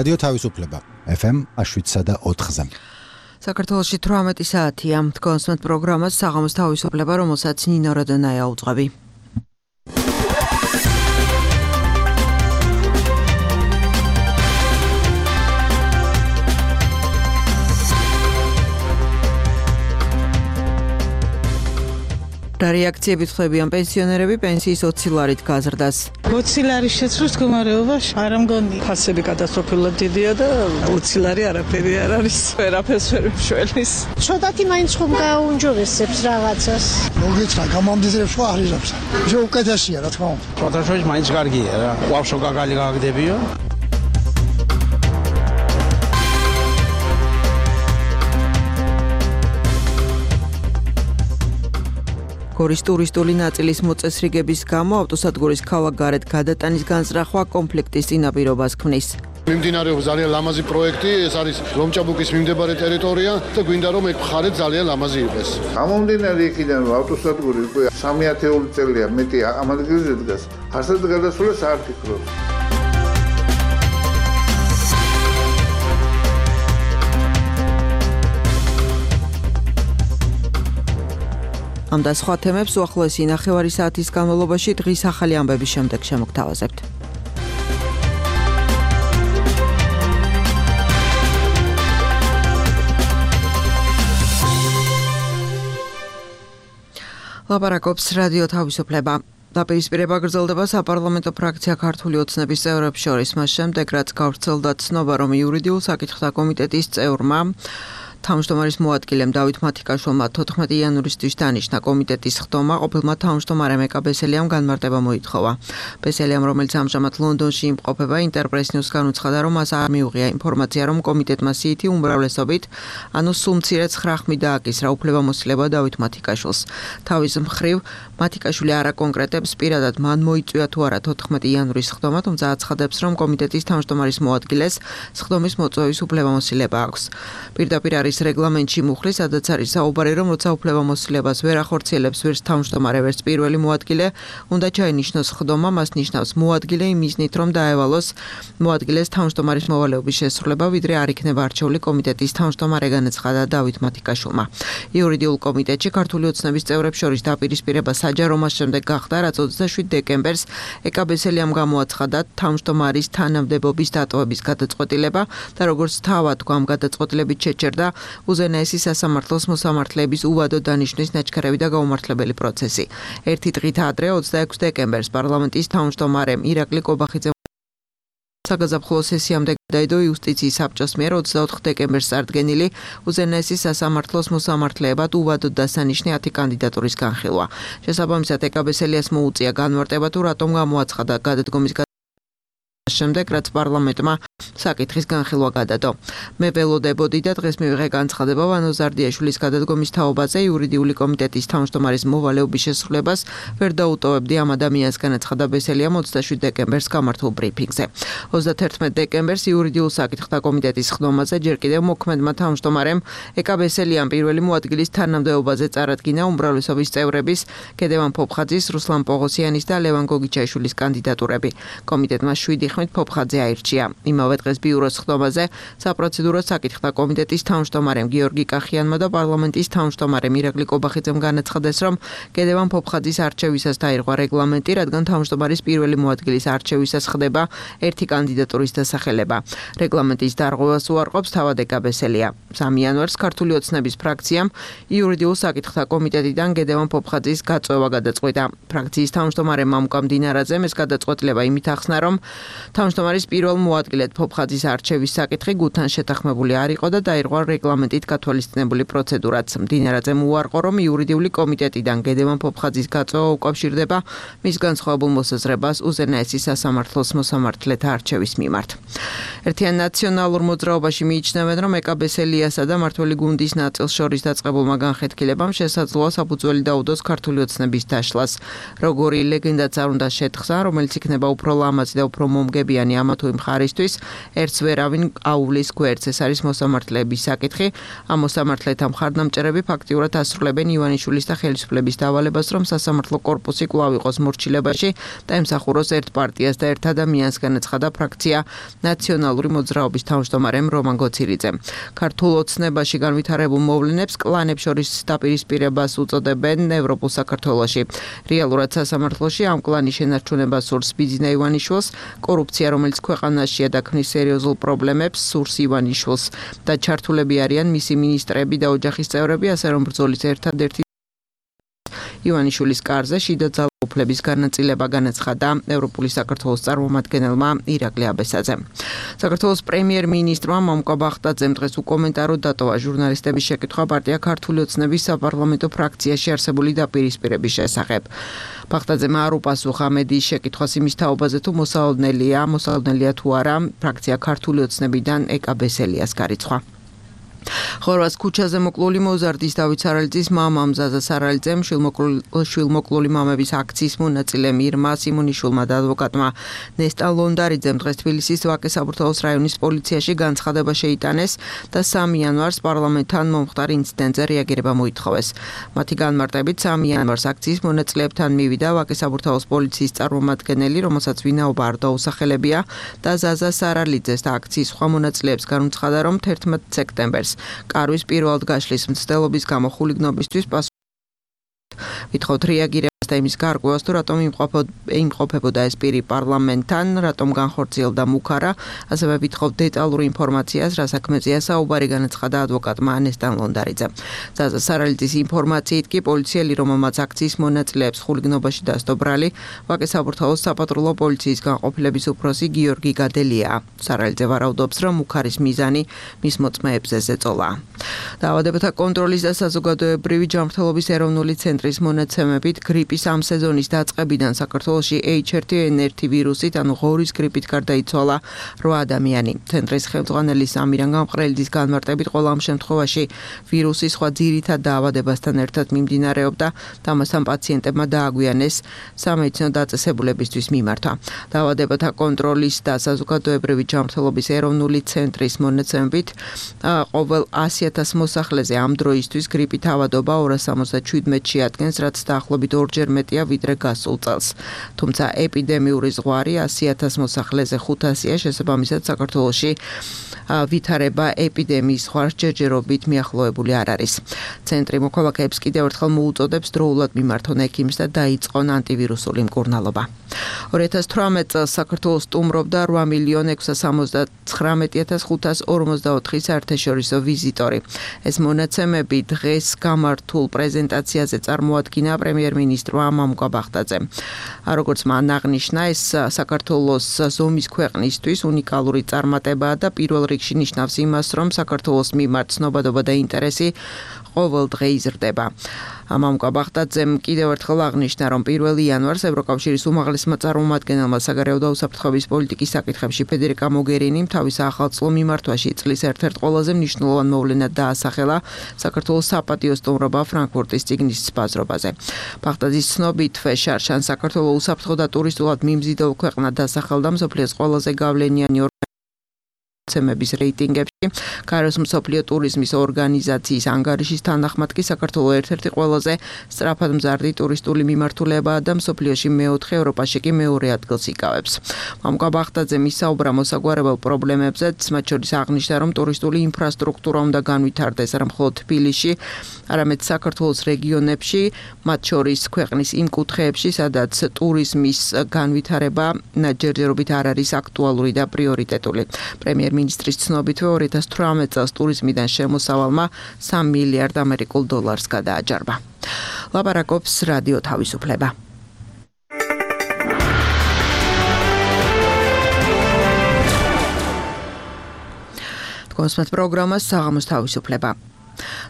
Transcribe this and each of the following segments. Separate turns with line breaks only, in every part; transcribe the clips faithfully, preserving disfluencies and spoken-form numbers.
რადიო თავისუფლება ეფ ემ შვიდსა და ოთხზე.
საქართველოში თვრამეტი საათია. თქვენს პროგრამას საღამოს თავისუფლება, რომელსაც ნინო როდონაია უძღვები. რა რეაქციებით ხვდებიან პენსიონერები პენსიის ოცი ლარით გაზრდას?
ოცი ლარის შეცვლის მდგომარეობაში არ ამგონი ფასები კატასტროფულად დიდია და ოცი ლარი არაფერი არ არის. ვერაფერს ვერ მშველის.
ცოტათი მაინც ხომ გააუნჯობესებს რაღაცას.
მოგეცხრა გამამდიდრებს ხო არიზებს. ისე უკეთესია რა თქმა უნდა.
ფოტოშოპი მაინც კარგია რა. ვაფშო გაგალი გაგდებიო.
გორის ტურისტული ნაწილის მოწესრიგების გამო ავტოსადგურის ქალაქგარეთ გადატანის განზრახვა კონფლიქტის წინაპირობას ქმნის.
მიმდინარეობს ძალიან ლამაზი პროექტი, ეს არის ლომჭაბუკის მიმდებარე ტერიტორია და გვინდა რომ ეგ მხარე ძალიან ლამაზი იყოს.
გამომდინარე იქიდან რომ ავტოსადგური უკვე სამი ათეული წელია მეტი ამ ადგილზე დგას, არსად გადასვლას არ ფიქრობს.
ამ და სხვა თემებს უახლოესი ნახევარი საათის განმავლობაში დღის ახალი ამბების შემდეგ შემოგთავაზებთ. ლაპარაკობს რადიო თავისუფლება. დაპირისპირება გრძელდება საპარლამენტო ფრაქცია ქართული ოცნების წევრებს შორის, მას შემდეგ რაც გავრცელდა ცნობა, რომ იურიდიულ საკითხთა კომიტეტის წევრმა თავმჯდომარის მოადგილემ დავით მათიკაშვილმა თოთხმეტი იანვრისთვის დანიშნა კომიტეტის ხდომა, ყოფილმა თავმჯდომარემ ეკა ბესელიამ განმარტება მოითხოვა. ბესელიამ, რომელიც ამჟამად ლონდონში იმყოფება, ინტერპრეს ნიუსგან უცხადა, რომ მას არ მიუღია ინფორმაცია, რომ კომიტეტმა სიითი უმრავლესობით, ანუ სულ მცირე ცხრა ხმით დააკისრა უფლებამოსილება დავით მათიკაშვილს. თავის მხრივ, მათიკაშვილი არ აკონკრეტებს პირადად მან მოიწვია თუ არა თოთხმეტი იანვრის ხდომა, თუმცა აცხადებს, რომ კომიტეტის თავმჯდომარის მოადგილეს ხდომის მოწვევის უფლებამოსილება აქვს. პირდაპირ არის რეგლამენტში მუხლი, სადაც არის საუბარი, რომ როცა უფლებამოსილებას ვერ ახორციელებს ვერც თავმჯდომარე, ვერც პირველი მოადგილე, უნდა ჩაენიშნოს ხდომა, მას ნიშნავს მოადგილე იმ მიზნით, რომ დაევალოს მოადგილეს თავმჯდომარის მოვალეობის შესრულება, ვიდრე არ იქნება არჩეული კომიტეტის თავმჯდომარე, განაცხადა დავით მათიკაშვილმა. იურიდიულ კომიტეტში ქართული ოცნების წევრებს შორის დაპირისპირება საჯარო მას შემდეგ გახდა, რაც ოცდაშვიდ დეკემბერს ეკა ბესელიამ გამოაცხადა თავმჯდომარის თანამდებობის დატოვების გადაწყვეტილება და როგორც თავად თქვა, ამ გადაწყვეტილებით შეჩერდა უზენაესი სასამართლოს მოსამართლეების უვადო დანიშვნის ნაჩქარევი და გაუმართლებელი პროცესი. ერთი დღით ადრე ოცდაექვსი დეკემბერს პარლამენტის თავმჯდომარემ ირაკლი კობახიძემ საგაზაფხულო სესიამდე გადაიდო იუსტიციის საბჭოს მიერ ოცდაოთხ დეკემბერს წარდგენილი უზენაესი სასამართლოს მოსამართლეებად უვადო დასანიშნე ათი კანდიდატურის განხილვა. შესაბამისად ეკა ბესელიას მოუწია განმარტება თუ რატომ გამოაცხადა გადადგომის შემდეგ, რაც პარლამენტმა საკითხის განხილვა გადადო. მე ველოდებოდი და დღეს მივიღე განცხადება ვანო ზარდიაშვილის გადადგომის თაობაზე იურიდიული კომიტეტის თავმჯდომარის მოვალეობის შესრულებას ვერ დაუტოვებდი ამ ადამიანს, განაცხადა ბესელიამ ოცდაშვიდ დეკემბერს გამართულ ბრიფინგზე. ოცდათერთმეტ დეკემბერს იურიდიულ საკითხთა კომიტეტის ხდომაზე ჯერ კიდევ მოქმედმა თავმჯდომარემ ეკა ბესელიამ პირველი მოადგილის თანამდებობაზე წარადგინა უმრავლესობის წევრების გედევან ფოფხაძის, რუსლან პოღოსიანის და ლევან გოგიჩაიშვილის კანდიდატურები. კომიტეტმა შვიდი ხმით ფოფხაძე აირჩია. იმავე დღეს ბიუროს ხდომაზე საპროცედურო საკითხთა კომიტეტის თავმჯდომარემ გიორგი კახიანმა და პარლამენტის თავმჯდომარემ ირაკლი კობახიძემ განაცხადეს, რომ გედევან ფოფხაძის არჩევისას დაირღვა რეგლამენტი, რადგან თავმჯდომარის პირველი მოადგილის არჩევისას ხდება ერთი კანდიდატურის დასახელება. რეგლამენტის დარღვევას უარყოფს თავად ეკა ბესელია. სამი იანვარს ქართული ოცნების ფრაქციამ იურიდიულ საკითხთა კომიტეტიდან გედევან ფოფხაძის გაწვევა გადაწყვიტა. ფრაქციის თავმჯდომარე მამუკა მდინარაძემ ეს გადაწყვეტილება იმით ახსნა, რომ თავმჯდომარის პირველ მოადგილედ ფოფხაძის არჩევის საკითხი გუთთან შეთანხმებული არ იყო და დაირღვა რეგლამენტით გათვალისწინებული პროცედურაც. მდინარაძემ უარყო, რომ იურიდიული კომიტეტიდან გედევან ფოფხაძის გაწვევა უკავშირდება მის განსხვავებულ მოსაზრებას უზენაესი სასამართლოს მოსამართლეთა არჩევის მიმართ. ერთიან ნაციონალურ მოძრაობაში მიიჩნევენ, რომ ეკა ბესელიასა და მართველი გუნდის ნაწილს შორის დაწყებულმა განხეთქილებამ შესაძლოა საფუძველი დაუდოს ქართული ოცნების დაშლას. როგორი ლეგენდაც არ უნდა შეთხსა, რომელიც იქნება უფრო ლამაზი და უფრო მომგებიანი ამა თუ იმ მხარისთვის ერთს ვერავინ აუვლის გვერდს. ეს არის მოსამართლეების საკითხი. ამ მოსამართლეთა მხარდამჭერები ფაქტიურად ასრულებენ ივანიშვილის და ხელისუფლების დავალებას, რომ სასამართლო კორპუსი კვლავ იყოს მორჩილებაში და ემსახუროს ერთ პარტიას და ერთ ადამიანს, განაცხადა ფრაქცია ნაციონალური მოძრაობის თავმჯდომარემ რომან გოცირიძემ. ქართულ ოცნებაში განვითარებულ მოვლენებს კლანებს შორის დაპირისპირებას უწოდებენ ევროპულ საქართველოში. რეალურად სასამართლოში ამ კლანის შენარჩუნებას სურს ბიძინა ივანიშვილს, კორუფცია, რომელიც ქვეყანაშია და ქმნის სერიოზულ პრობლემებს, სურს ივანიშვილს და ჩართულები არიან მისი მინისტრები და ოჯახის წევრები, ასე რომ ბრძოლის ერთადერთი ივანიშვილის კარზე შიდა ძალაუფლების განაწილება, განაცხადა ევროპული საქართველოს წარმომადგენელმა ირაკლი აბესაძემ. საქართველოს პრემიერ-მინისტრმა მომკა ბახტაძემ დღეს უკომენტაროდ დატოვა ჟურნალისტების შეკითხვა პარტია ქართული ოცნების საპარლამენტო ფრაქციაში არსებული დაპირისპირების შესახებ. ბახტაძემ არ უპასუხა მედიის შეკითხვას იმის თაობაზე, თუ მოსალოდნელია, მოსალოდნელია თუ არა ფრაქცია ქართული ოცნებიდან ეკა ბესელიას გარიცხვა. ხორვატს ქუჩაზე მოკლული მოზარდის დავით სარალიძის მამამ ზაზა სარალიძემ შვილმოკლული მამების აქციის მონაწილე მირმა სიმონიშვილმა და ადვოკატმა ნესტა ლონდარიძემ დღეს თბილისის ვაკე-საბურთალოს რაიონის პოლიციაში განცხადება შეიტანეს და სამი იანვარს პარლამენტთან მომხდარ ინციდენტზე რეაგირება მოითხოვეს. მათი განმარტებით სამი იანვარს აქციის მონაწილეებთან მივიდა ვაკე-საბურთალოს პოლიციის წარმომადგენელი, რომელსაც ვინაობა არ დაუსახელებია და ზაზა სარალიძეს და აქციის სხვა მონაწილეებს განუცხადა, რომ თერთმეტ სექტემბერს კარვის პირველად გაშლის მცდელობის გამო ხულიგნობისთვის პასუხი ვითხოვთ რეაგირებას და იმის გარკვევას, თუ რატომ იმყოფებოდა ეს პირი პარლამენტთან, რატომ განხორციელდა მუქარა, ასევე ვითხოვთ დეტალური ინფორმაციას, რა საქმეზეა საუბარი, განაცხადა ადვოკატმა ნესტან ლონდარიძემ. ზაზა სარალიძის ინფორმაციით კი პოლიციელი, რომელმაც აქციის მონაწილეებს ხულიგნობაში დასდო ბრალი, ვაკე-საბურთალოს საპატრულო პოლიციის განყოფილების უფროსი გიორგი გადელია. სარალიძე ვარაუდობს, რომ მუქარის მიზანი მის მოწმეებზე ზეწოლა. დაავადებათა კონტროლის და საზოგადოებრივი ჯანმრთელობის ეროვნული ცენტრის მონაცემებით გრიპის ამ სეზონის დაწყებიდან საქართველოში ეიჩ ერთ ენ ერთ ვირუსით, ანუ ღორის გრიპით გარდაიცვალა რვა ადამიანი. ცენტრის ხელმძღვანელი სამირან გამყრელიძის განმარტებით, ყველა ამ შემთხვევაში ვირუსი სხვა ძირითად დაავადებასთან ერთად მიმდინარეობდა და ამასთან პაციენტებმა დააგვიანეს სამედიცინო დაწესებულებისთვის მიმართვა. დაავადებათა კონტროლის და საზოგადოებრივი ჯანმრთელობის ეროვნული ცენტრის მონაცემებით, ყოველ ასი ათას მოსახლეზე ამ დროისთვის გრიპით ავადობა ორას სამოცდაშვიდმეტში ადგენს, რაც დაახლოებით ორჯერ მეტია ვიდრე გასულ წელს. თუმცა ეპიდემიური ზღვარი ასი ათას მოსახლეზე ხუთასია, შესაბამისად საქართველოში ვითარება ეპიდემიის ზღვარს ჯერჯერობით მიახლოებული არ არის. ცენტრი მოქალაქეებს კიდევ ერთხელ მოუწოდებს დროულად მიმართონ ექიმს და დაიწყონ ანტივირუსული მკურნალობა. ორი ათას თვრამეტ წელს საქართველოს სტუმრობდა რვა მილიონ ექვსასამოცდათხრამეტი ათას ხუთას ორმოცდაოთხი საერთაშორისო ვიზიტორი. ეს მონაცემები დღეს გამართულ პრეზენტაციაზე წარმოადგინა პრემიერ-მინისტრმა მომკა ბახტაძემ. როგორც მან აღნიშნა, ეს საქართველოს ზომის ქვეყნისთვის უნიკალური წარმატებაა და პირველ რიგში ნიშნავს იმას, რომ საქართველოს მიმართ ცნობადობა და ინტერესი ყოველ დღე იზრდება. მომკა ბახტაძემ კიდევ ერთხელ აღნიშნა, რომ პირველი იანვარს ევროკავშირის უმაღლესმა წარმომადგენელმა საგარეო და უსაფრთხოების პოლიტიკის საკითხებში ფედერიკა მოგერინიმ თავის ახალწლო მიმართვაში წლის ერთ-ერთ ყველაზე მნიშვნელოვან მოვლენად დაასახელა საქართველოს საპატიო სტუმრობა ფრანკფურტის წიგნის ბაზრობაზე. ბახტაძის ცნობით, ფეშარშან საქართველოს უსაფრთხო და ტურისტულად მიმზიდველ ქვეყნად დასახელდა მსოფლიოს ყველაზე გავლენიანი მოცემების რეიტინგებში. გაეროს მსოფლიო ტურიზმის ორგანიზაციის ანგარიშის თანახმად კი საქართველოს ერთ-ერთი ყველაზე სწრაფად მზარდი ტურისტული მიმართულებაა და მსოფლიოში მეოთხე, ევროპაში კი მეორე ადგილს იკავებს. მომკა ბახტაძემ ისაუბრა მოსაგვარებელ პრობლემებზეც, მათ შორის აღნიშნა, რომ ტურისტული ინფრასტრუქტურა უნდა განვითარდეს არა მხოლოდ თბილისში, არამედ საქართველოს რეგიონებში, მათ შორის ქვეყნის იმ კუთხეებში, სადაც ტურიზმის განვითარება ჯერჯერობით არ არის აქტუალური და პრიორიტეტული. პრემიერ-მინისტრის ცნობითვე ორი ათას თვრამეტ წელს ტურიზმიდან შემოსავალმა სამ მილიარდ ამერიკულ დოლარს გადააჯარმა. ლაპარაკობს რადიო თავისუფლება. თქვენს პროგრამას საღამოს თავისუფლება.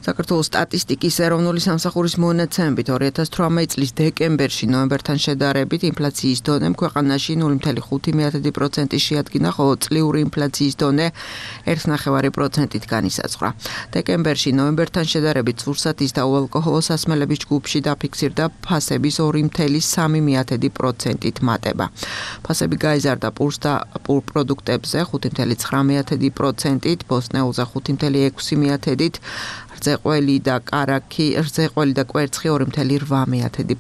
საქართველოს სტატისტიკის ეროვნული სამსახურის მონაცემებით ორი ათას თვრამეტი წლის დეკემბერში ნოემბერთან შედარებით ინფლაციის დონემ ქვეყანაში ნული ფაصله ხუთი პროცენტი შეადგინა, ხოლო წლიური ინფლაციის დონე ერთი ნახევარი პროცენტით განისაზღვრა. დეკემბერში ნოემბერთან შედარებით სურსათის და უალკოჰოლო სასმელების ჯგუფში დაფიქსირდა ფასების ორი ნახევარი პროცენტით მატება. ფასები გაიზარდა პურს და პურ პროდუქტებზე ხუთი ნახევარი ცხრა პროცენტით, ბოსტნეულზე ხუთი ნახევარი ექვსი პროცენტით, რძეყველი და კარაქი, რძეყველი და კვერცხი ორი ნახევარი რვა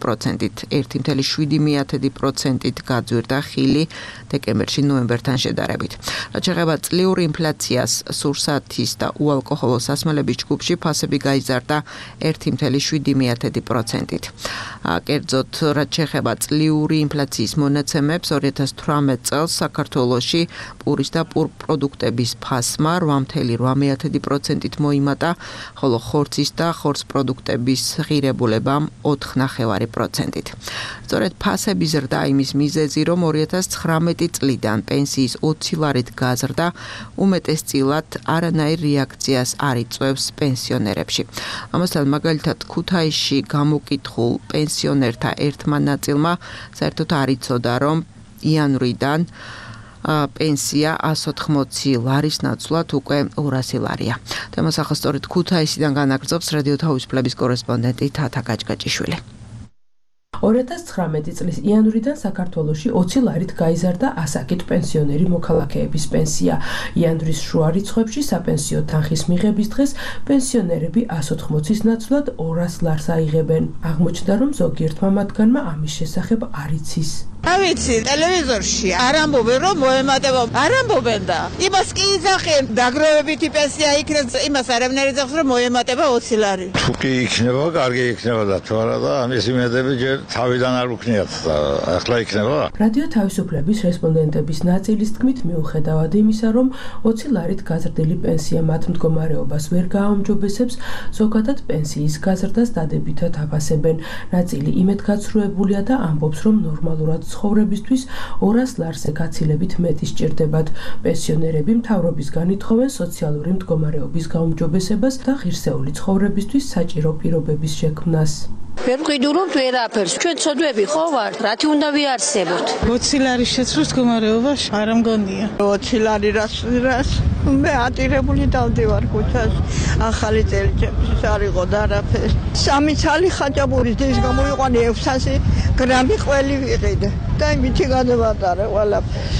პროცენტით, ერთი ნახევარი შვიდი პროცენტით გაძვირდა ხილი დეკემბერში ნოემბერთან შედარებით. რაც შეეხება წლიური ინფლაციას, სურსათის და უალკოჰოლო სასმელების ჯგუფში ფასები გაიზარდა ერთი ნახევარი შვიდი პროცენტით. კერძოდ, რაც შეეხება წლიური ინფლაციის მონაცემებს, ორი ათას თვრამეტი წელს საქართველოში პურის და პურ პროდუქტების ფასმა რვა ნახევარი რვა პროცენტით მოიმატა, ხოლო ხორცის და ხორც პროდუქტების ღირებულებამ ოთხ ნახევარი პროცენტით. სწორედ ფასების ზრდა იმის მიზეზი, რომ ორი ათას ცხრამეტი წლიდან პენსიის ოცი ლარით გაზრდა, უმეტესწილად არანაირ რეაქციას არ იწვევს პენსიონერებში. ამასთან მაგალითად ქუთაისში გამოკითხულ პენსიონერთა ერთმა ნაწილმა საერთოდ არ იცოდა, რომ იანვრიდან პენსია ასი ოთხმოცი ლარის ნაცვლად უკვე ორასი ლარია. თემას ახლა სწორედ ქუთაისიდან განაგრძობს რადიო თავისუფლების კორესპონდენტი თათა გაჭგაჭიშვილი.
ორი ათას ცხრამეტი წლის იანვრიდან საქართველოში ოცი ლარით გაიზარდა ასაკით პენსიონერი მოქალაქეების პენსია. იანვრის შუა რიცხვებში საპენსიო თანხის მიღების დღეს პენსიონერები ასი ოთხმოცის ნაცვლად ორას ლარს აიღებენ. აღმოჩნდა, რომ ზოგიერთმა მათგანმა ამის შესახებ არ იცის.
ავიცი ტელევიზორში არ ამბობენ, რომ მოემატება, არ ამბობენ და იმას კი იძახენ, დაგროვებითი პენსია იქნება, იმას არავინარი იძახს, რომ მოემატება ოცი ლარი.
თუ კი იქნება, კარგი იქნება და თუ არა და ამის იმედები ჯერ თავიდან არ უქნიათ და ახლა იქნება.
რადიო თავისუფლების რესპონდენტების ნაწილის თქმით, მიუხედავად იმისა, რომ ოცი ლარით გაზრდილი პენსია მათ მდგომარეობას ვერ გააუმჯობესებს, ზოგადად პენსიის გაზრდას დადებითად აფასებენ. ნაწილი იმედგაცრუებულია და ამბობს, რომ ნორმალურად ცხოვრებისთვის ორას ლარზე გაცილებით მეტი სჭირდებათ. პენსიონერები მთავრობისგან ითხოვენ სოციალური მდგომარეობის გაუმჯობესებას და ღირსეული ცხოვრებისთვის საჭირო პირობების შექმნას.
ვერ ვყიდულობთ ვერაფერს. ჩვენ ცოდვები ხო ვართ? რათი უნდა ვიარსებოთ?
ოცი ლარის შეცვლის მდგომარეობა არ ამგონია. ოცი ლარი რას რას მე ატირებული დავდივარ ქუჩას. ახალი წელი ჩემთვის არ იყო და არაფერი. სამი ცალი ხაჭაპურის დის გამოიყვანე ექვსასი გრამი ყველი ვიყიდე. და იმითი გადავატარე ყველაფერს.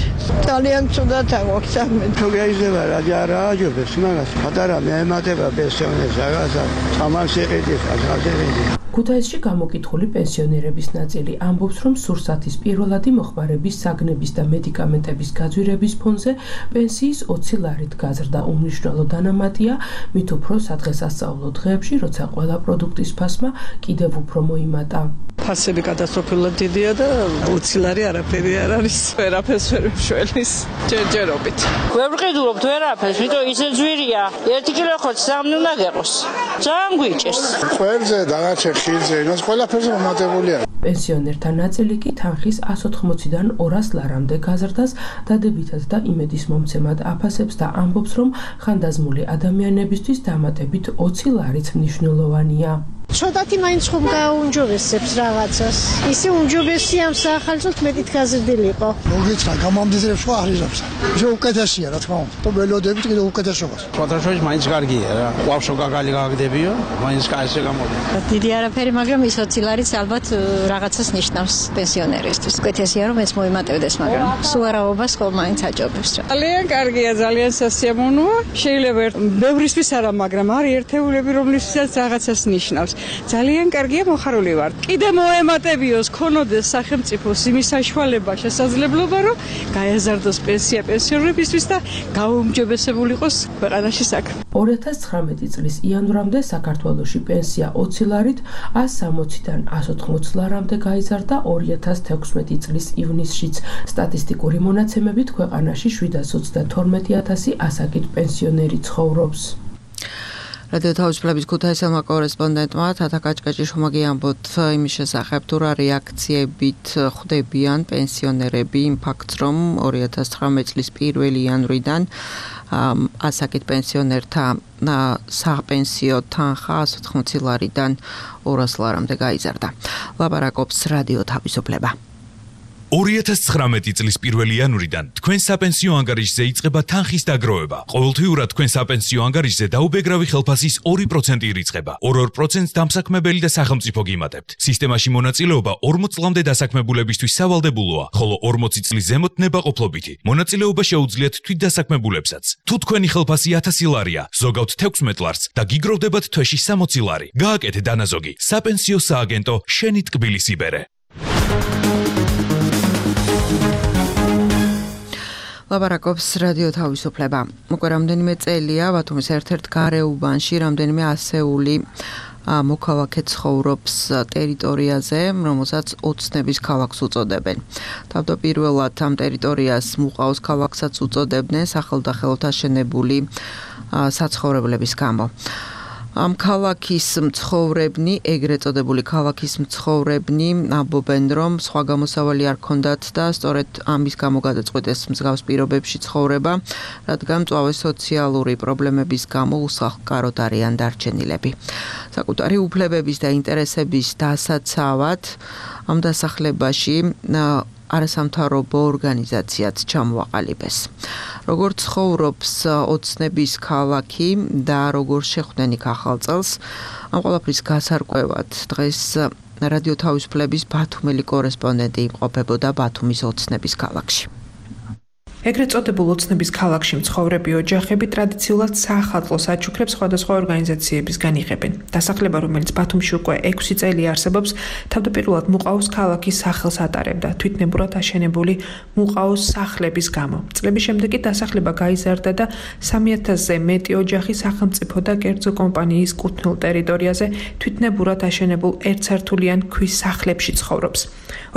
ძალიან ცუდად აქვს საქმე.
თუ გაიზრდება რა არა აჯობებს მაგას. პატარა მეემატება პენსიონერს რაღაცა თამაში ეყიდის ახალდერები.
ქუთაისში გამოკითხული პენსიონერების ნაწილი ამბობს, რომ სურსათის პირველადი მოხმარების საგნების და მედიკამენტების გაძვირების ფონზე პენსიის ოცი ლარით გაზრდა უმნიშვნელო დანამატია, მით უფრო სადღესასწაულო დღეებში, როცა ყველა პროდუქტის ფასმა კიდევ უფრო მოიმატა.
ფასები კატასტროფულად დიდია და ოცი ლარი არაფერი არ არის. ვერაფერს ვერ მშველის ჯერჯერობით.
ვერ ვყიდულობთ ვერაფერს, ვიტო ისე ძვირია. ერთი კილო ხორცი სამი უნდა გეყოს. ძალიან გვიჭერს.
ყველზე დაგაჩე ხილზე, იმას ყველაფერზე მომატებულია.
პენსიონერთა ნაწილი კი თანხის ასი ოთხმოციდან ორას ლარამდე გაზრდას დადებითად და იმედის მომცემად აფასებს და ამბობს, რომ ხანდაზმული ადამიანებისთვის დამატებით ოცი ლარიც მნიშვნელოვანია.
ცოტათი მაინც ხომ გააუმჯობესებს რაღაცას. ისე უმჯობესია ამ საახალწლოდ მეტით გაზრდილიყო.
მოგიცხა გამამდიდრებს ხო აღიზარებს. ისე უკეთესია რა თქმა უნდა. თუ ველოდებით კიდე უკეთესობას.
ფოთაშოის მაინც კარგია რა. ვავშო გაგალი გაგდებიო, მაინც კაისე გამოვიდა.
დიდი არაფერი, მაგრამ ის ოცი ლარიც ალბათ რაღაცას ნიშნავს პენსიონერისთვის. უკეთესია რომ ეს მოიმატებდეს, მაგრამ სუარაობას ხომ მაინც აჯობებს რა.
ძალიან კარგია, ძალიან სასიამოვნოა. შეიძლება ბევრისთვის არა, მაგრამ არის ერთეულები, რომლისთვისაც რაღაცას ნიშნავს. ძალიან კარგია, მოხარული ვარ. კიდე მოემატებიოს, ქონოდეს სახელმწიფოს იმის საშუალება, შესაძლებლობა, რომ გაეზარდოს პენსია პენსიონერებისთვის და გაუმჯობესებული იყოს ქვეყანაში საქმე.
ორი ათას ცხრამეტი წლის იანვრამდე საქართველოში პენსია ოცი ლარით ასი სამოციდან ასი ოთხმოცი ლარამდე გაიზარდა ორი ათას თექვსმეტი წლის ივნისშიც. სტატისტიკური მონაცემებით ქვეყანაში შვიდას ოცდათორმეტი ათასი ასაკით პენსიონერი ცხოვრობს.
რადიო თავისუფლების ქუთაისელმა კორესპონდენტმა თათა კაჭკაჭიშვილმა გიამბოთ იმის შესახებ, თუ რა რეაქციებით ხვდებიან პენსიონერები იმ ფაქტს, რომ ორი ათას ცხრამეტი წლის პირველი იანვრიდან ასაკით პენსიონერთა საპენსიო თანხა ას ოთხმოცი ლარიდან ორას ლარამდე გაიზარდა. ლაპარაკობს რადიო თავისუფლება.
ორი ათას ცხრამეტი წლის პირველი იანვრიდან თქვენ საპენსიო ანგარიშზე იწყება თანხის დაგროვება. ყოველთვიურად თქვენ საპენსიო ანგარიშზე დაუბეგრავი ხელფასის ორი პროცენტი ირიცხება. ორ-ორ პროცენტს დამსაქმებელი და სახელმწიფო გიმატებთ. სისტემაში მონაწილეობა ორმოც წლამდე დასაქმებულებისთვის სავალდებულოა, ხოლო ორმოცი წლის ზემოთ ნებაყოფლობითი. მონაწილეობა შეუძლიათ თვითდასაქმებულებსაც. თუ თქვენი ხელფასი ათასი ლარია, ზოგავთ თექვსმეტ ლარს და გიგროვდებათ თვეში სამოცი ლარი. გააკეთე დანაზოგი. საპენსიო სააგენტო შენი ტკბილის იბერე.
ლაპარაკობს რადიო თავისუფლება. უკვე რამდენიმე წელია ბათუმის ერთ-ერთ გარეუბანში რამდენიმე ასეული მოქალაქე ცხოვრობს ტერიტორიაზე, რომელსაც ოცნების ქალაქს უწოდებენ. თავდაპირველად ამ ტერიტორიას მუყაოს ქალაქსაც უწოდებდნენ სახელმწიფოდ აშენებული საცხოვრებლების გამო. ამ ქალაქის მცხოვრებნი, ეგრეთ წოდებული ქალაქის მცხოვრებნი ამბობენ, რომ სხვა გამოსავალი არ ქონდათ და სწორედ ამის გამო გადაწყვეტეს მსგავს პირობებში ცხოვრება, რადგან მწვავე სოციალური პრობლემების გამო უსახლკაროდ არიან დარჩენილები. საკუთარი უფლებების და ინტერესების დასაცავად ამ დასახლებაში არასამთავრობო ორგანიზაციაც ჩამოაყალიბეს. როგორ ცხოვრობს ოცნების ქალაქი და როგორ შეხვდნენ იქ ახალ წელს, ამ ყველაფრის გასარკვევად დღეს რადიო თავისუფლების ბათუმელი კორესპონდენტი იმყოფებოდა ბათუმის ოცნების ქალაქში.
ეგრეთ წოდებულ ოცნების ქალაქში მცხოვრები ოჯახები ტრადიციულად საახალწლო საჩუქრებს სხვადასხვა ორგანიზაციებისგან იღებენ. დასახლება, რომელიც ბათუმში უკვე ექვსი წელი არსებობს, თავდაპირველად მუყაოს ქალაქის სახელს ატარებდა, თვითნებურად აშენებული მუყაოს სახლების გამო. წლების შემდეგ კი დასახლება გაიზარდა და სამი ათასზე მეტი ოჯახი სახელმწიფო და კერძო კომპანიის კუთვნილ ტერიტორიაზე თვითნებურად აშენებულ ერთსართულიან ქვის სახლებში ცხოვრობს.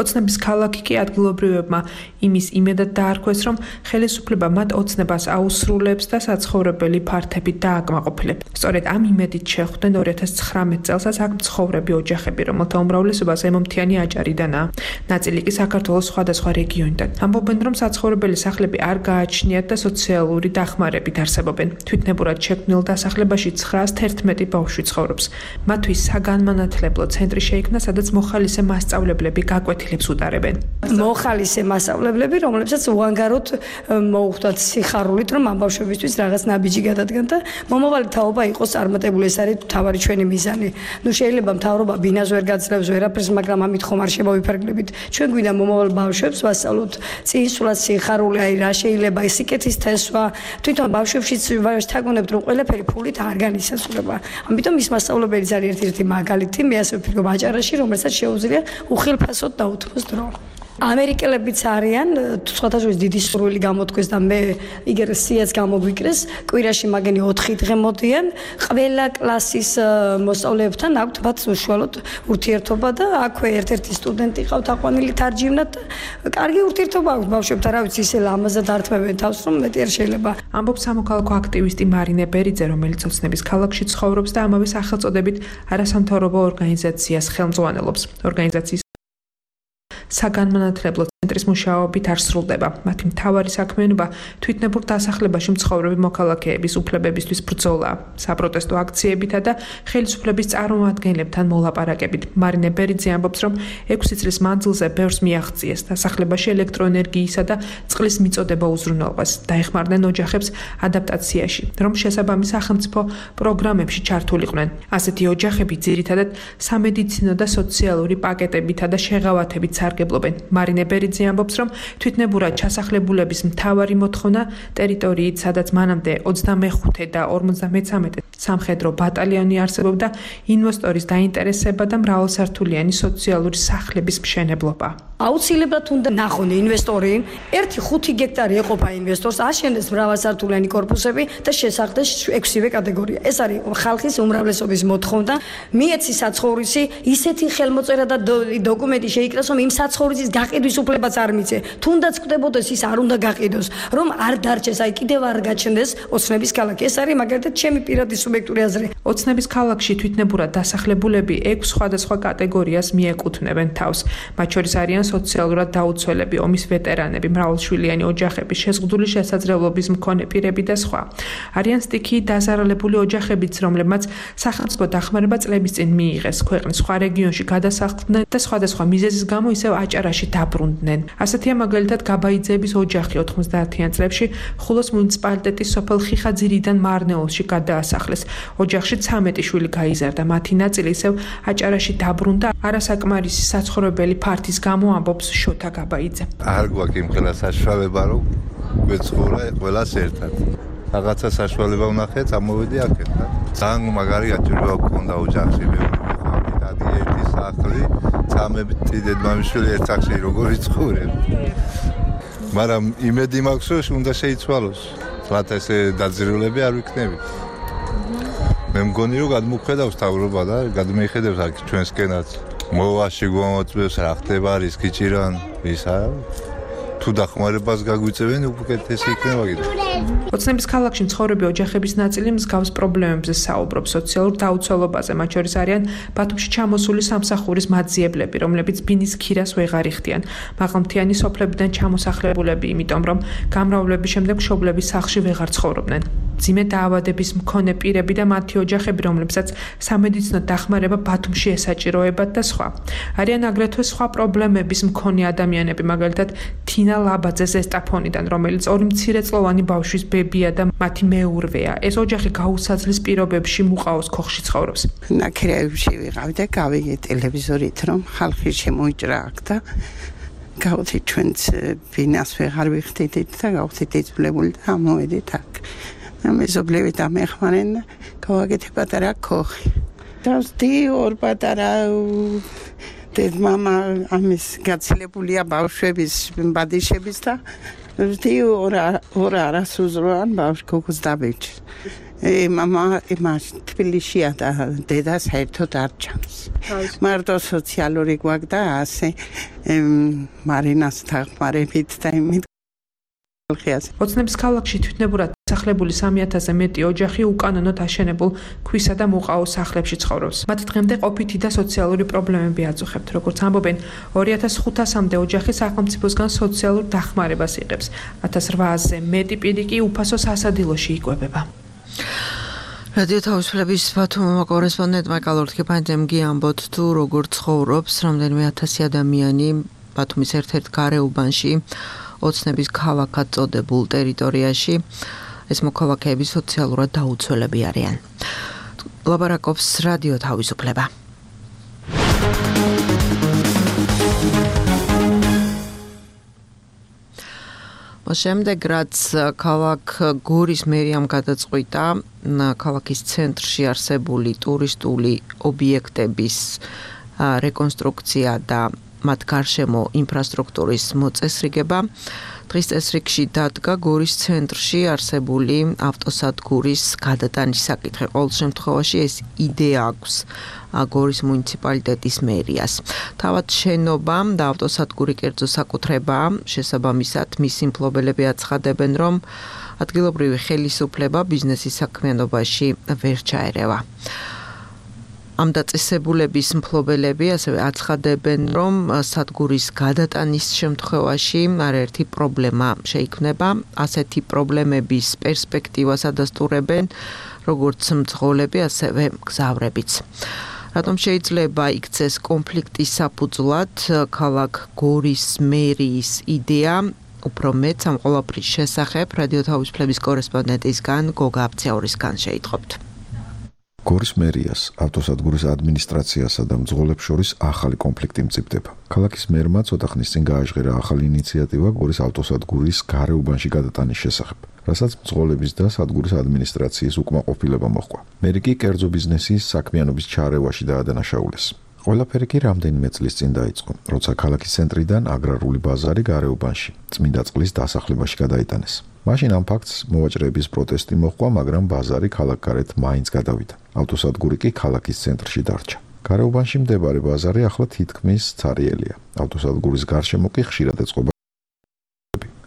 ოცნების ქალაქი კი ადგილობრივებმა იმის იმედად დაარქვეს, რომ ხელისუფლება მათ ოცნებას აუსრულებს და საცხოვრებელი ფართებით დააკმაყოფილებს. სწორედ ამ იმედით შეხვდნენ ორი ათას ცხრამეტ წელსაც აქ მცხოვრები ოჯახები, რომელთა უმრავლესობა ზემომთიანი აჭარიდანაა. ნაწილი კი საქართველოს სხვადასხვა რეგიონიდან. ამბობენ, რომ საცხოვრებელი სახლები არ გააჩნიათ და სოციალური დახმარებით არსებობენ. თვითნებურად შექმნილ დასახლებაში ცხრაას თერთმეტი ბავშვი ცხოვრობს. მათთვის საგანმანათლებლო ცენტრი შეიქმნა, სადაც მოხალისე მასწავლებლები გაკვეთილებს უტარებენ.
მოხალისე მასწავლებლები, რომლებსაც უანგაროდ მოუხდათ სიხარულით, რომ ამ ბავშვებისთვის რაღაც ნაბიჯი გადადგან და მომავალი თაობა იყოს წარმატებული. ეს არის თავარი ჩვენი მიზანი. ნუ შეიძლება მთავრობა ბინას ვერ გაძლევს ვერაფერს, მაგრამ ამით ხომ არ შემოვიფარგლებით. ჩვენ გვინდა მომავალ ბავშვებს ვასწავლოთ წინსვლად სიხარული, აი რა შეიძლება სიკეთის თესვა. თვითონ ბავშვებშიც ვთაგონებთ, რომ ყველაფერი ფულით არ განისაზღვრება. ამიტომ ის მასწავლებელიც არის ერთ-ერთი მაგალითი, მე ასე ვფიქრობ აჭარაში, რომელსაც შეუძლია უხილფასოდ დაუთმოს დრო. ამერიკელებიც არიან, სხვათაშორის დიდი სურვილი გამოთქვეს და მე იგერ სიაც გამოგვიკრეს, კვირაში მაგენი ოთხი დღე მოდიან, ყველა კლასის მოსწავლეებთან აქვთ მათ უშუალოდ ურთიერთობა და აქვე ერთ-ერთი სტუდენტი ყავთ აყვანილი თარჯიმნად და კარგი ურთიერთობა აქვს ბავშვებთან, რა ვიცი, ისე ლამაზად ართმევენ თავს, რომ მეტი არ შეიძლება.
ამბობს სამოქალაქო აქტივისტი მარინე ბერიძე, რომელიც ოცნების ქალაქში ცხოვრობს და ამავე სახელწოდებით არასამთავრობო ორგანიზაციას ხელმძღვანელობს. ორგანიზაციის საგანმანათლებლო ცენტრის მუშაობით არ სრულდება. მათი მთავარი საქმიანობა თვითნებურ დასახლებაში მცხოვრები მოქალაქეების უფლებებისთვის ბრძოლაა, საპროტესტო აქციებითა და ხელისუფლების წარმომადგენლებთან მოლაპარაკებით. მარინე ბერიძე ამბობს, რომ ექვსი წლის მანძილზე ბევრს მიაღწიეს დასახლებაში ელექტროენერგიისა და წყლის მიწოდება უზრუნველყვეს. დაეხმარნენ ოჯახებს ადაპტაციაში, რომ შესაბამის სახელმწიფო პროგრამებში ჩართულიყვნენ. ასეთი ოჯახები ძირითადად სამედიცინო და სოციალური პაკეტებითა და შეღავათებით სარგებლობენ. მარინე ბერიძე ამბობს, რომ თვითნებურად ჩასახლებულების მთავარი მოთხოვნა ტერიტორიით, სადაც მანამდე ოცდამეხუთე და ორმოცდამეცამეტე სამხედრო ბატალიონი არსებობდა, ინვესტორის დაინტერესება და მრავალსართულიანი სოციალური სახლების მშენებლობა.
აუცილებლად უნდა ნახონ ინვესტორი, ერთი ხუთი გექტარი ეყოფა ინვესტორს, აშენდეს მრავალსართულიანი კორპუსები და შესახდეს ექვსივე კატეგორია. ეს არის ხალხის უმრავლესობის მოთხოვნა. მიეცი საცხოვრისი, ისეთი ხელმოწერა და დოკუმენტი შეიკრას, რომ იმ საცხოვრისის გაყიდვის უფლებაც არ მიცე. თუნდაც ხდებოდეს ის არ უნდა გაყიდოს, რომ არ დარჩეს, აი კიდევ არ გაჩნდეს ოცნების ქალაქი. ეს არის მაგალითად ჩემი პირადი სუბიექტური აზრი.
ოცნების ქალაქში თვითნებურად დასახლებულები ექვს სხვადასხვა კატეგორიას მიეკუთვნებენ თავს. მათ შორის არიან სოციალურად დაუცველები, ომის ვეტერანები, მრავალშვილიანი ოჯახები, შეზღუდული შესაძლებლობის მქონე პირები და სხვა. არიან სტიქიით დაზარალებული ოჯახებიც, რომლებმაც სახელმწიფო დახმარება წლების წინ მიიღეს, ქვეყნის სხვა რეგიონში გადასახლდნენ და სხვადასხვა მიზეზის გამო ისევ აჭარაში დაბრუნდნენ. ასეთია მაგალითად გაბაიძეების ოჯახი ოთხმოცდაათიან წლებში ხულოს მუნიციპალიტეტის სოფელ ხიხაძირიდან მარნეულში გადაასახლეს. ოჯახში ცამეტი შვილი გაიზარდა, მათი ნაწილი ისევ აჭარაში დაბრუნდა. არასაკმარისი საცხოვრებელი ფართის გამო ამბობს შოთა გაბაიძე.
არ გვაქვს იმ ყველა საშუალება, რომ გვეცხოვრა ყველას ერთად. რაღაცა საშუალება ვნახე, წამოვედი აქეთ. ძალიან მაგარი გაჭირვება გქონდა ოჯახში, მე ვიყავდი დადი ერთი სახლი, ცამეტი დედმამიშვილი ერთ სახლში როგორ იცხოვრებ. მაგრამ იმედი მაქვს, რომ უნდა შეიცვალოს. მათ ესე დაძირულები არ ვიქნებით. მე მგონი რომ გადმოხედავს თავრობა და გადმეიხედებს აქ ჩვენსკენაც. მოვაში გვამოწმებს რა ხდება რისკი ჭირან, ისა თუ დახმარებას გაგვიწევენ უკეთესი იქნება კიდე.
ოცნების ქალაქში მცხოვრები ოჯახების ნაწილი მსგავს პრობლემებზე საუბრობს, სოციალურ დაუცველობაზე, მათ შორის არიან ბათუმში ჩამოსული სამსახურის მაძიებლები, რომლებიც ბინის ქირას ვეღარ იხდიან. მაღალმთიანი სოფლებიდან ჩამოსახლებულები, იმიტომ რომ გამრავლების შემდეგ მშობლების სახლში ვეღარ ცხოვრობდნენ. მძიმე დაავადების მქონე პირები და მათი ოჯახები, რომლებსაც სამედიცინო დახმარება ბათუმში ესაჭიროებათ და სხვა. არიან აგრეთვე სხვა პრობლემების მქონე ადამიანები, მაგალითად თინა ლაბაძე ზესტაფონიდან, რომელიც ორი მცირეწლოვანი ბავშვის ბებია და მათი მეურვეა. ეს ოჯახი გაუსაძლის პირობებში მუყაოს ქოხში ცხოვრობს.
ნაკრეებში ვიყავ და გავიგე ტელევიზორით, რომ ხალხი შემოიჭრა აქ და გავხდი ჩვენც ბინას ვეღარ ვიხდით და გავხდით იწვლებული და ამოვედით აქ. მეზობლები დამეხმარენ და გავაკეთე პატარა ქოხი. დავსდი ორ პატარა დედმამა ამის გაცილებულია ბავშვების ბადიშების და ვსდი ორ ორ არასუზროვან ბავშვ ქოქს დაბეჭ. მამა იმას თბილისშია და დედა საერთოდ არ ჩანს. მარტო სოციალური გვაქვს და ასე მარინას დახმარებით და იმით
ოცნების ქალაქში თვითნებურად დასახლებული სამი ათასზე მეტი ოჯახი უკანონოდ აშენებულ ქვისა და მუყაოს სახლებში ცხოვრობს. მათ დღემდე ყოფითი და სოციალური პრობლემები აწუხებთ. როგორც ამბობენ, ორი ათას ხუთასამდე ოჯახი სახელმწიფოსგან სოციალურ დახმარებას იღებს. ათას რვაასზე მეტი პირი კი უფასო სასადილოში იკვებება.
რადიო თავისუფლების ბათუმის კორესპონდენტმა კალორთქეპანძემ გიამბოთ თუ როგორ ცხოვრობს რამდენიმე ათასი ადამიანი ბათუმის ერთ-ერთ გარეუბანში ოცნების ქალაქად წოდებულ ტერიტორიაში. ეს მოქალაქეები სოციალურად დაუცველები არიან. ლაბარაკობს რადიო თავისუფლება. შემდეგ რაც ქალაქ გორის მერიამ გადაწყვიტა ქალაქის ცენტრში არსებული ტურისტული ობიექტების რეკონსტრუქცია და მათ გარშემო ინფრასტრუქტურის მოწესრიგება. დღის წესრიგში დადგა გორის ცენტრში არსებული ავტოსადგურის გადატანის საკითხი. ყოველ შემთხვევაში ეს იდეა აქვს გორის მუნიციპალიტეტის მერიას. თავად შენობა და ავტოსადგური კერძო საკუთრებაა, შესაბამისად მისი მფლობელები აცხადებენ, რომ ადგილობრივი ხელისუფლება ბიზნესის საქმიანობაში ვერ ჩაერევა. ამ დაწესებულების მფლობელები ასევე აცხადებენ, რომ სადგურის გადატანის შემთხვევაში არაერთი პრობლემა შეიქმნება. ასეთი პრობლემების პერსპექტივას ადასტურებენ როგორც მძღოლები, ასევე მგზავრებიც. რატომ შეიძლება იქცეს კონფლიქტის საფუძვლად ქალაქ გორის მერიის იდეა? უფრო მეტ ამ ყველაფრის შესახებ რადიო თავისუფლების კორესპონდენტისგან გოგა აბციაურისგან შეიტყობთ.
გორის მერიას, ავტოსადგურის ადმინისტრაციასა და მძღოლებს შორის ახალი კონფლიქტი მწიფდება. ქალაქის მერმა ცოტა ხნის წინ გააჟღერა ახალი ინიციატივა გორის ავტოსადგურის გარეუბანში გადატანის შესახებ, რასაც მძღოლების და სადგურის ადმინისტრაციის უკმაყოფილება მოჰყვა. მერი კი კერძო ბიზნესის საქმიანობის ჩარევაში დაადანაშაულეს. ყველაფერი კი რამდენიმე წლის წინ დაიწყო, როცა ქალაქის ცენტრიდან აგრარული ბაზარი გარეუბანში, წმინდა წყლის დასახლებაში გადაიტანეს. მაშინ ამ ფაქტს მოვაჭრეების პროტესტი მოჰყვა, მაგრამ ბაზარი ქალაქგარეთ მაინც გადავიდა. ავტოსადგური კი ქალაქის ცენტრში დარჩა. გარეუბანში მდებარე ბაზარი ახლა თითქმის ცარიელია. ავტოსადგურის გარშემო კი ხშირად ეწყობა.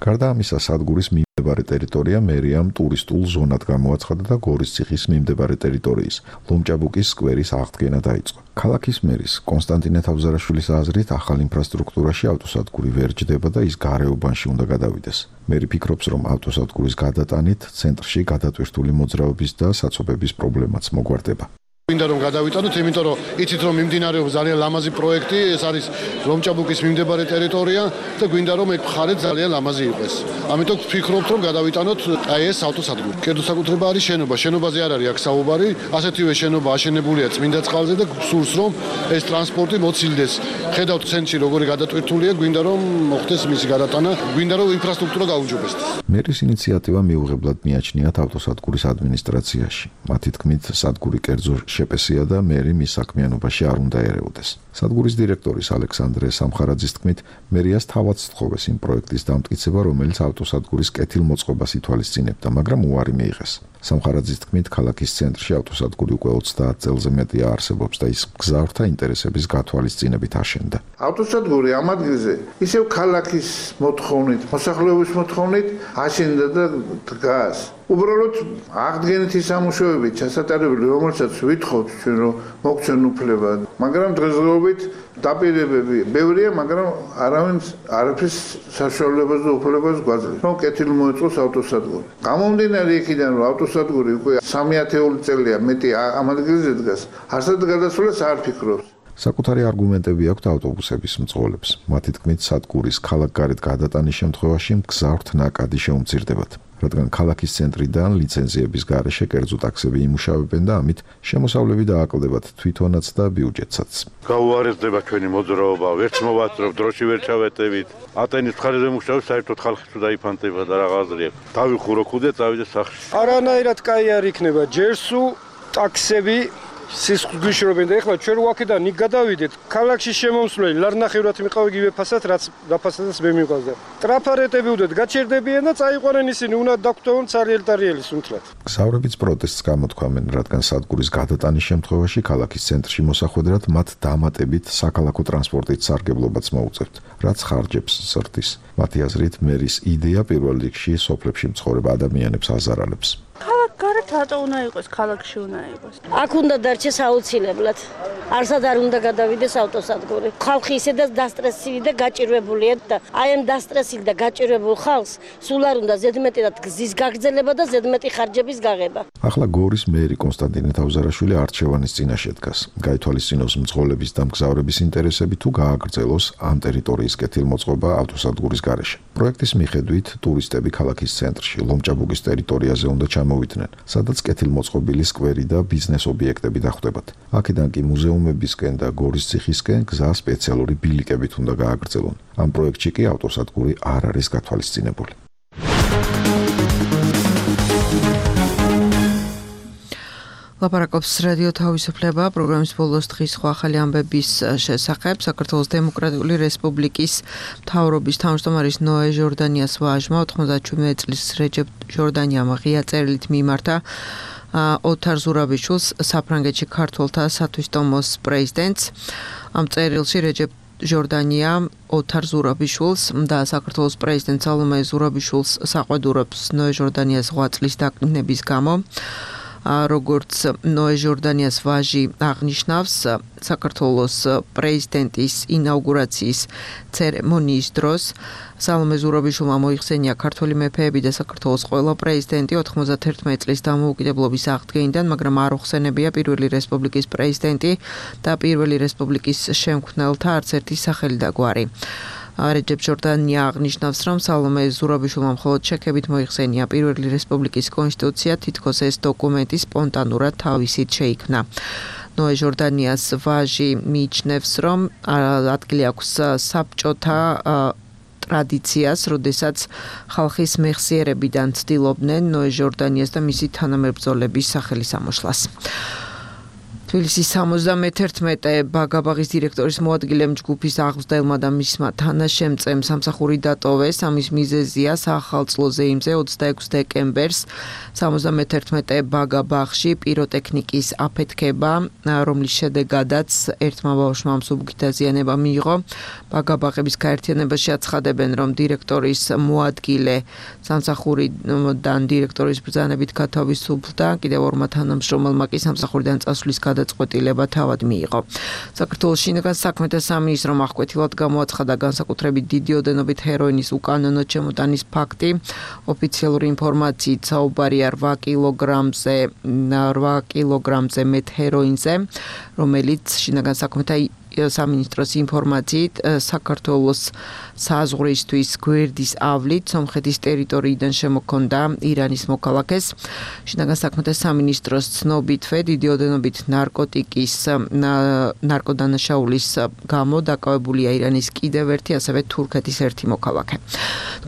გარდა ამისა, სადგურის მიმდებარე ტერიტორია მერიამ ტურისტულ ზონად გამოაცხადა და გორის ციხის მიმდებარე ტერიტორიის ლომჭაბუკის სკვერის აღდგენა დაიწყო. ქალაქის მერის კონსტანტინე თავზარაშვილის აზრით, ახალ ინფრასტრუქტურაში ავტოსადგური ვერ ჯდება და ის გარეუბანში უნდა გადავიდეს. მერი ფიქრობს, რომ ავტოსადგურის გადატანით ცენტრში გადატვირთული მოძრაობის და საცობების პრობლემაც მოგვარდება.
მინდა რომ გადავიტანოთ, იმიტომ რომ იცით რომ მიმდინარეობს ძალიან ლამაზი პროექტი, ეს არის ლომჭაბუკის მიმდებარე ტერიტორია და გვინდა რომ ეგ მხარე ძალიან ლამაზი იყოს. ამიტომ ვფიქრობთ რომ გადავიტანოთ აი ეს ავტოსადგური. კერძო საკუთრება არის შენობა, შენობაზე არ არის აქ საუბარი, ასეთივე შენობა აშენებულია წმინდა წყალზე და სურს რომ ეს ტრანსპორტი მოცილდეს. ხედავთ ცენტრში როგორი გადატვირთულია, გვინდა რომ მოხდეს მისი გადატანა, გვინდა რომ ინფრასტრუქტურა გაუმჯობესდეს.
მერის ინიციატივა მიუღებლად მიაჩნიათ ავტოსადგურის ადმინისტრაციაში. მათი თქმით, სადგური კერძო შეპესია და მერი მის საქმიანობაში არ უნდა ერეოდეს. სადგურის დირექტორის ალექსანდრე სამხარაძის თქმით, მერიას თავად სთხოვეს იმ პროექტის დამტკიცება, რომელიც ავტოსადგურის კეთილმოწყობას ითვალისწინებდა, მაგრამ უარი მიიღეს. სამხარაძის თქმით, ქალაქის ცენტრში ავტოსადგური უკვე ოცდაათ წელზე მეტია არსებობს და ის მგზავრთა ინტერესების გათვალისწინებით აშენდა.
ავტოსადგური ამ ადგილზე ისევ ქალაქის მოთხოვნით, მოსახლეობის მოთხოვნით აშენდა და დგას. უბრალოდ აღდგენითი სამუშაოები ჩასატარებელი, რომელსაც ვითხოვთ ჩვენ რომ მოგცენ უფლება, მაგრამ დღესდღეობით დაპირებები ბევრია, მაგრამ არავინ არაფრის საშუალებას და უფლებას გვაძლევს, რომ კეთილი მოეწყოს ავტოსადგური. გამომდინარე იქიდან, რომ ავტოსადგური უკვე სამი ათეული წელია მეტი ამ ადგილზე დგას, არსად გადასვლას არ ფიქრობს.
საკუთარი არგუმენტები აქვთ ავტობუსების მძღოლებს. მათი თქმით, სადგურის ქალაქგარეთ გადატანის შემთხვევაში მგზავრთ ნაკადი შეუმცირდებათ. რადგან ქალაქის ცენტრიდან ლიცენზიების გარეშე კერძო ტაქსები იმუშავებენ და ამით შემოსავლები დააკლდებათ თვითონაც და ბიუჯეტსაც.
გაუარესდება ჩვენი მოძრაობა, ვერც მოვაწრობ, დროში ვერ ჩავეტევით. ატენის მხარეზე მუშაობს, საერთოდ ხალხი თუ დაიფანტება და რა აზრი აქვს. დავიხურო ქუდე, წავიდე სახლში.
არანაირად კაი არ იქნება, ჯერსუ ტაქსები სისხლს გვიშრობენ და ეხლა ჩვენ ვაკედან იქ გადავიდეთ, ქალაქში შემომსვლელი ლარნახევრად მიყავ იგივე ფასად, რაც რაფასადაც მე მიყვარდა. ტრაფარეტები უდეთ გაჩერდებიან და წაიყვანენ ისინი, უნდა დაგვტოვონ цариელ ტარიელი სუნთლად.
მგზავრებიც პროტესტს გამოთქვამენ, რადგან სადგურის გადატანის შემთხვევაში ქალაქის ცენტრში მოსახვედრად მათ დამატებით საქალაქო ტრანსპორტით სარგებლობაც მოუწევთ, რაც ხარჯებს ზრდის. მათი აზრით, მერის იდეა პირველ რიგში სოფლებში მცხოვრებ ადამიანებს აზარალებს.
გარეთ რატო უნდა იყოს, ქალაქში უნდა იყოს.
აქ უნდა დარჩეს აუცილებლად. არსად არ უნდა გადავიდეს ავტოსადგური. ხალხი ისედაც დასტრესილი და გაჭირვებულია და აი ამ დასტრესილ და გაჭირვებულ ხალხს სულ არ უნდა ზედმეტად გზის გაგრძელება და ზედმეტი ხარჯების გაღება.
ახლა გორის მერი კონსტანტინე თავზარაშვილი არჩევანის წინაშე დგას. გაითვალისწინოს მძღოლების და მგზავრების ინტერესები თუ გააგრძელოს ამ ტერიტორიის კეთილმოწყობა ავტოსადგურის გარეშე. პროექტის მიხედვით ტურისტები ქალაქის ცენტრში ლომჭაბუკის ტერიტორიაზე უნდა ჩამოვიდნენ, სადაც კეთილმოწყობილი სკვერი და ბიზნეს ობიექტები დახვდებათ. აქედან კი მუზეუმებისკენ და გორის ციხისკენ გზა სპეციალური ბილიკებით უნდა გააგრძელონ. ამ პროექტში კი ავტოსადგური არ არის გათვალისწინებული.
ლაპარაკობს რადიო თავისუფლება პროგრამის ბოლოს დღის სხვა ახალი ამბების შესახებ. საქართველოს დემოკრატიული რესპუბლიკის მთავრობის თავმჯდომარის ნოე ჟორდანიას ვაჟმა ოთხმოცდაშვიდმეტი წლის რეჯეპ ჟორდანიამ ღია წერილით მიმართა ოთარ ზურაბიშვილს, საფრანგეთში ქართველთა სათვისტომოს პრეზიდენტს. ამ წერილში რეჯეპ ჟორდანია ოთარ ზურაბიშვილს და საქართველოს პრეზიდენტ სალომე ზურაბიშვილს საყვედურობს ნოე ჟორდანიას ზღვა წლის დაკნინების გამო. როგორც ნოე ჟორდანიას ვაჟი აღნიშნავს, საქართველოს პრეზიდენტის ინაუგურაციის ცერემონიის დროს სალომე ზურაბიშვილმა მოიხსენია ქართველი მეფეები და საქართველოს ყველა პრეზიდენტი ოთხმოცდაერთმეტი წლის დამოუკიდებლობის აღდგენიდან, მაგრამ არ უხსენებია პირველი რესპუბლიკის პრეზიდენტი და პირველი რესპუბლიკის შემქმნელთა არც ერთი სახელი და გვარი. რეჯეპ ჟორდანია აღნიშნავს, რომ სალომე ზურაბიშვილმა მხოლოდ შექებით მოიხსენია პირველი რესპუბლიკის კონსტიტუცია, თითქოს ეს დოკუმენტი სპონტანურად თავისით შეიქმნა. ნოე ჟორდანიას ვაჟი მიიჩნევს, რომ ადგილი აქვს საბჭოთა ტრადიციას, როდესაც ხალხის მეხსიერებიდან ცდილობდნენ ნოე ჟორდანიას და მისი თანამებრძოლების სახელის ამოშლას. თბილისის სამოცდამეთერთმეტე ბაგაბაღის დირექტორის მოადგილემ ჯგუფის აღზრდელმა და მისმა თანაშემწემ სამსახური დატოვეს. ამის მიზეზია საახალწლო ზეიმზე ოცდაექვსი დეკემბერს სამოცდამეთერთმეტე ბაგაბაღში პიროტექნიკის აფეთქება, რომლის შედეგადაც ერთმა ბავშვმა მსუბუქი დაზიანება მიიღო. ბაგაბაღების გაერთიანებაში აცხადებენ, რომ დირექტორის მოადგილე სამსახურიდან დირექტორის ბრძანებით გათავისუფლდა, კიდევ ორმა თანამშრომელმა კი სამსახურიდან წასვლის გადაწყვეტილება თავად მიიღო. საქართველოს შინაგან საქმეთა სამინისტრომ აღკვეთილად გამოაცხადა განსაკუთრებით დიდი ოდენობით ჰეროინის უკანონო ჩემოტანის ფაქტი. ოფიციალური ინფორმაციით საუბარია რვა კილოგრამზე რვა კილოგრამზე მეტ ჰეროინზე, რომელიც შინაგან საქმეთა სამინისტროს ინფორმაციით საქართველოს საზღვრისთვის გვერდის ავლით სომხეთის ტერიტორიიდან შემოქონდა ირანის მოქალაქეს. შინაგან საქმეთა სამინისტროს ცნობითვე დიდი ოდენობით ნარკოტიკის ნარკოდანაშაულის გამო დაკავებულია ირანის კიდევ ერთი, ასევე თურქეთის ერთი მოქალაქე.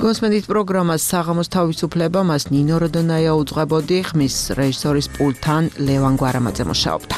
გონსმენდით პროგრამას საღამოს თავისუფლება, მას ნინო როდონაია უძღვებოდი, ხმის რეჟისორის პულტთან ლევან გვარამაძე მუშაობდა.